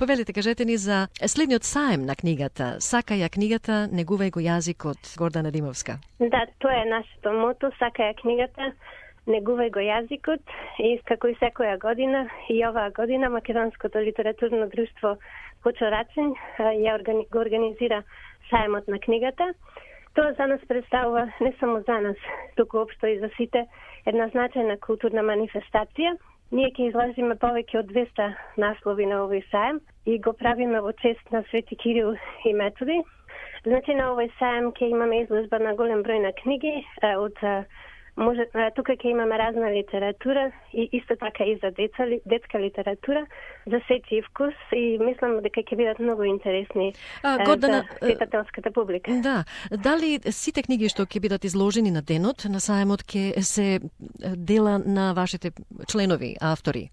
Повелите, кажете ни за следниот саем на книгата. Сакаја книгата, негувај го јазикот, Гордана Римовска. Да, тоа е нашето мото, сакаја книгата, негувај го јазикот, и како и секоја година, и оваа година Македонското литературно друштво Кочо-Рацин го организира саемот на книгата. Тоа за нас представува, не само за нас, туку општо и за сите, една значајна културна манифестација. Ние ќе изложиме повеќе од 200 наслови на овој саем и го правиме во чест на Свети Кирил и Методи. Значи на овој саем ќе имаме изложба на голем број на книги од тука ќе имаме разна литература и исто така и за детска литература, за сечи вкус, и мислам дека ќе бидат многу интересни за читателската публика. Да, дали сите книги што ќе бидат изложени на денот на саемот ќе се дела на вашите членови, автори?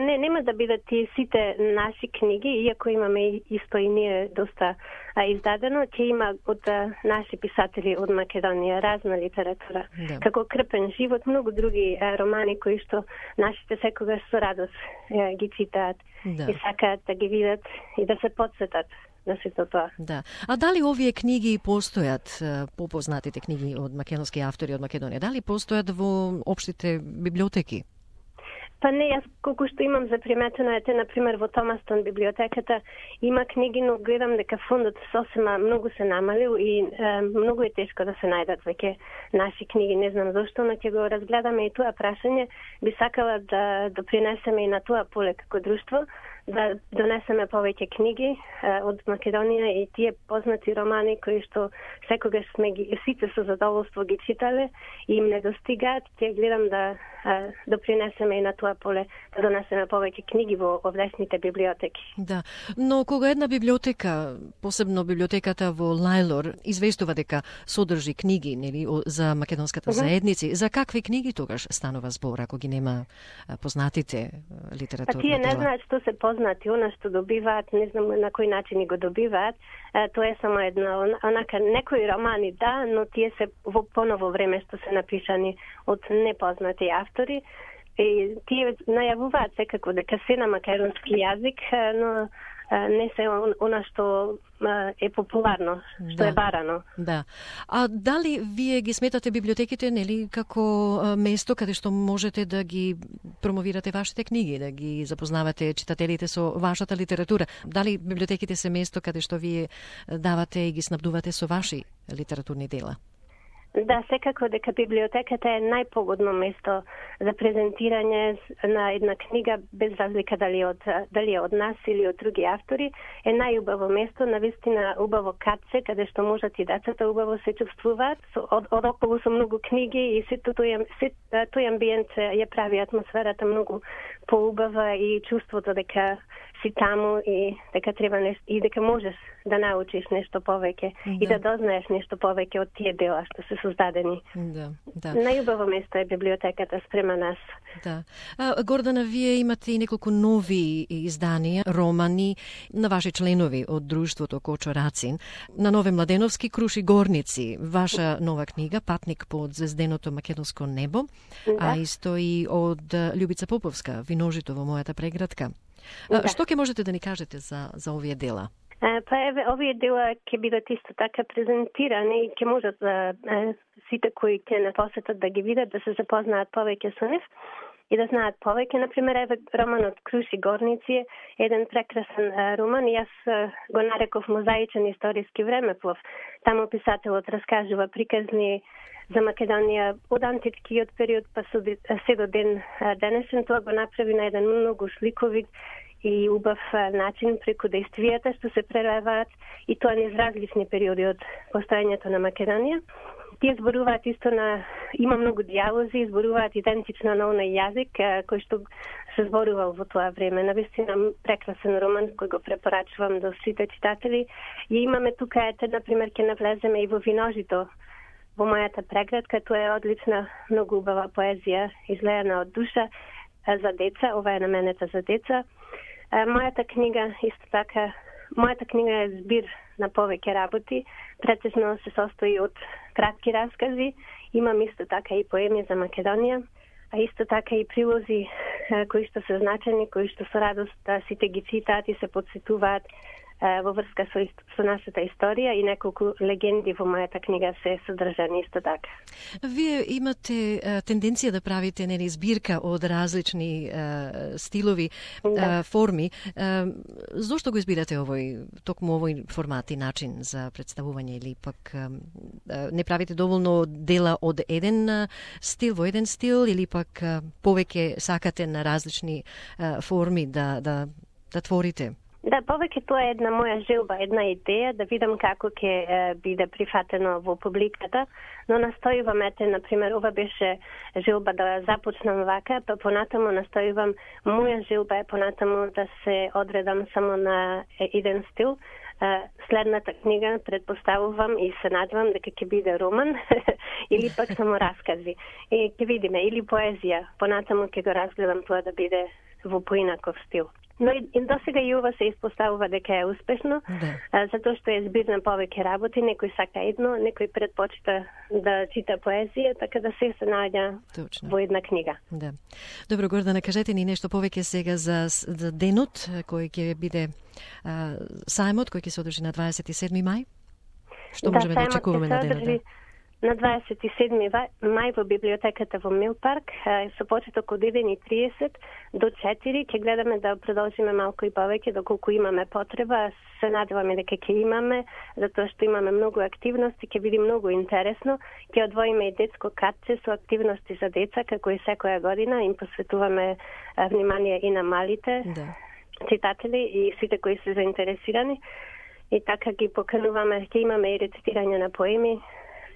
Не, нема да бидат и сите наши книги, иако имаме исто и ние доста издадено, ќе има од наши писатели од Македонија разна литература. Да. Како Крпен живот, многу други романи кои што нашите секогаш со радост ги читаат, да, и сакаат да ги видат и да се потсетат на сето тоа. Да. А дали овие книги постојат, попознатите книги од македонски автори од Македонија, дали постојат во општите библиотеки? Па не, јас колку што имам заприметено е, например, во Томастон библиотеката има книги, но гледам дека фондот сосема многу се намалил и многу е тешко да се најдат веќе наши книги. Не знам зошто, но ќе го разгледаме и тоа прашање. Би сакала да допринесеме и на тоа поле како друштво, да донесеме повеќе книги од Македонија и тие познати романи кои што секогаш сме ги сите со задоволство ги читале и им не достигаат, ќе гледам да допринесеме и на тоа поле, да донесеме повеќе книги во овдешните библиотеки. Да, но кога една библиотека, посебно библиотеката во Лајлор, известува дека содржи книги, нели, за македонската заедници, за какви книги тогаш станува збор, ако ги нема познатите литературни дела? Тие не знаат што се познати, она што добиваат, не знам на кој начин го добиваат. Тоа е само една, онака некои романи, да, но тие се во поново време што се напишани од непознати автори. И тие најавуваат секако дека се на македонски јазик, но не се она што е популарно, што е барано. Да. А дали вие ги сметате библиотеките, нели, како место каде што можете да ги промовирате вашите книги, да ги запознавате читателите со вашата литература? Дали библиотеките се место каде што вие давате и ги снабдувате со ваши литературни дела? Да, секако дека библиотеката е најпогодно место за презентирање на една книга, без разлика дали е од нас или од други автори, е најубаво место, навистина убаво катце, каде што можат и децата убаво се чувствуваат, одоколу со многу книги и сето тој амбиент ја прави атмосферата многу поубава и чувството дека си таму и дека треба нешто и дека можеш да научиш нешто повеќе, да, и да дознаеш нешто повеќе од тие дела што се создадени. Да, да. Најубаво место е библиотеката спрема нас. Да. Гордана, вие имате и неколку нови изданија, романи на ваши членови од друштвото Кочо-Рацин. На Нове Младеновски Круши горници, ваша нова книга Патник под звезденото македонско небо, да, а исто и од Љубица Поповска Виножито во мојата преградка. Да. Што ќе можете да ни кажете за овие дела? Па еве, овие дела ќе бидат исто така презентирани и ќе можат сите кои ќе не посетат да ги видат, да се запознаат повеќе со нив и да знаат повеќе. Например, еве романот Круши горници е еден прекрасен роман. Јас го нареков мозаичен историски времеплов. Таму писателот раскажува приказни за Македонија од античкиот период па се до ден денешен. Тоа го направи на еден многу сликовит и убав начин преку действијата што се прелеваат, и тоа низ различни периоди од постоењето на Македонија. Тие зборуваат исто има многу дијалози, зборуваат идентично на оној јазик кој што се зборувал во тоа време. Навистина прекрасен роман кој го препорачувам до сите читатели. И имаме тука, например, ќе навлеземе и во Виножито, во мојата преградка. Тоа е одлична, многу убава поезија, излејана од душа за деца. Ова е наменета за деца. Мојата книга е збир на повеќе работи. Претежно се состои од кратки раскази. Имам исто така и поеми за Македонија. а исто така и прилози кои што се значени, кои што со радост сите ги цитаат и се подсетуваат во врска со нашата историја и неколку легенди во мојата книга се содржани исто така. Вие имате тенденција да правите нели збирка од различни стилови, форми. Зошто го избирате токму овој формат и начин за представување или пак не правите доволно дела од еден стил во еден стил или пак повеќе сакате на различни форми да творите? Да, повеќе тоа е една моја желба, една идеја, да видам како ќе биде прифатено во публиката, но настојувам, например, ова беше желба да започнам вака, па понатаму настојувам, моја желба е понатаму да се одредам само на еден стил. Следната книга предпоставувам и се надевам дека ќе биде роман или пак само раскази. И ќе видиме, или поезија, понатаму ќе го разгледам тоа да биде во поинаков стил. Но и до сега и ова се испоставува дека е успешно, затоа што е збир на повеќе работи, некој сака едно, некој предпочита да чита поезија, така да се наоѓа во една книга. Да. Добро, Гордана, кажете ни нешто повеќе сега за денот кој ќе биде сајмот, кој ќе се одржи на 27 мај? Што можеме да очекуваме на денот? На 27 мај во библиотеката во Милпарк, со почеток од 1:30 до 4 ќе гледаме да продолжиме малку и повеќе доколку имаме потреба. Се надеваме дека ќе имаме, затоа што имаме многу активности, ќе биде многу интересно. Ќе одвоиме и детско картче со активности за деца, како и секоја година им посветуваме внимание и на малите читатели и сите кои се заинтересирани. И така ги покануваме, ќе имаме и рецитирање на поеми,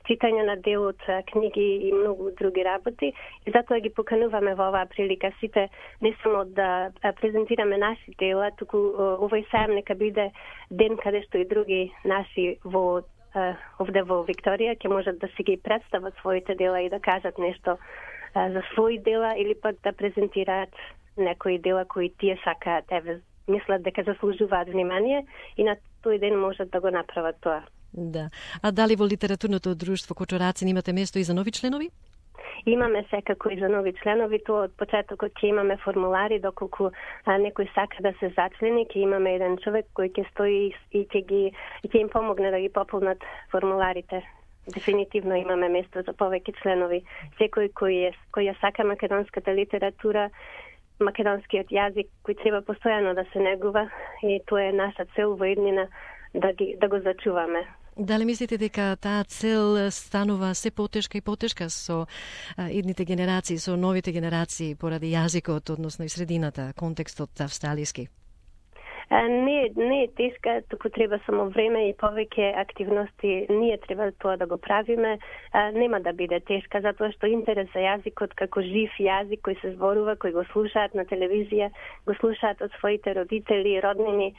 читање на дел од книги и многу други работи. И затоа ги покануваме во оваа прилика сите не само да презентираме наши дела, туку овој сајм нека биде ден каде што и други наши овде во Викторија ќе можат да си ги представат своите дела и да кажат нешто за своји дела или пак да презентираат некои дела кои тие сакаат, мислат дека заслужуваат внимание и на тој ден можат да го направат тоа. Да. А дали во литературното друштво Кочорацин имате место и за нови членови? Имаме секако и за нови членови. Тоа од почетокот ќе имаме формулари, доколку некој сака да се зачлени, ќе имаме еден човек кој ќе стои и ќе им помогне да ги пополнат формуларите. Дефинитивно имаме место за повеќе членови. Секој кој ја сака македонската литература, македонскиот јазик, кој треба постојано да се негува, и тоа е наша цел во иднина да го зачуваме. Дали мислите дека таа цел станува се потешка и потешка со идните генерации, со новите генерации поради јазикот, односно и средината, контекстот австралиски? Не е тешка, туку треба само време и повеќе активности. Ние треба тоа да го правиме. Нема да биде тешка, затоа што интерес за јазикот како жив јазик кој се зборува, кој го слушаат на телевизија, го слушаат од своите родители, роднини,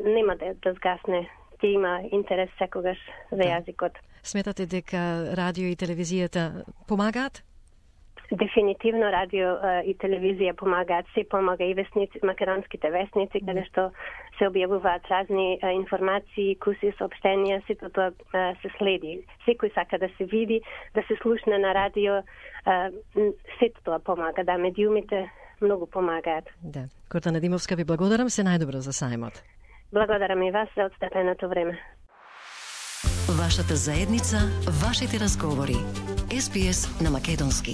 нема да згасне. Ќе има интерес секогаш за јазикот. Сметате дека радио и телевизијата помагаат? Дефинитивно радио и телевизија помагаат. Се помага и весници, македонските весници, каде што се објавуваат разни информации, куси, соопштенија, сето тоа се следи. Секој сака да се види, да се слушне на радио, сето тоа помага. Да, медиумите многу помагаат. Да. Гордана Димовска, ви благодарам, се најдобро за сајмот. Благодарам и вас за одстапеното време. Вашата заедница, вашите разговори. SBS на македонски.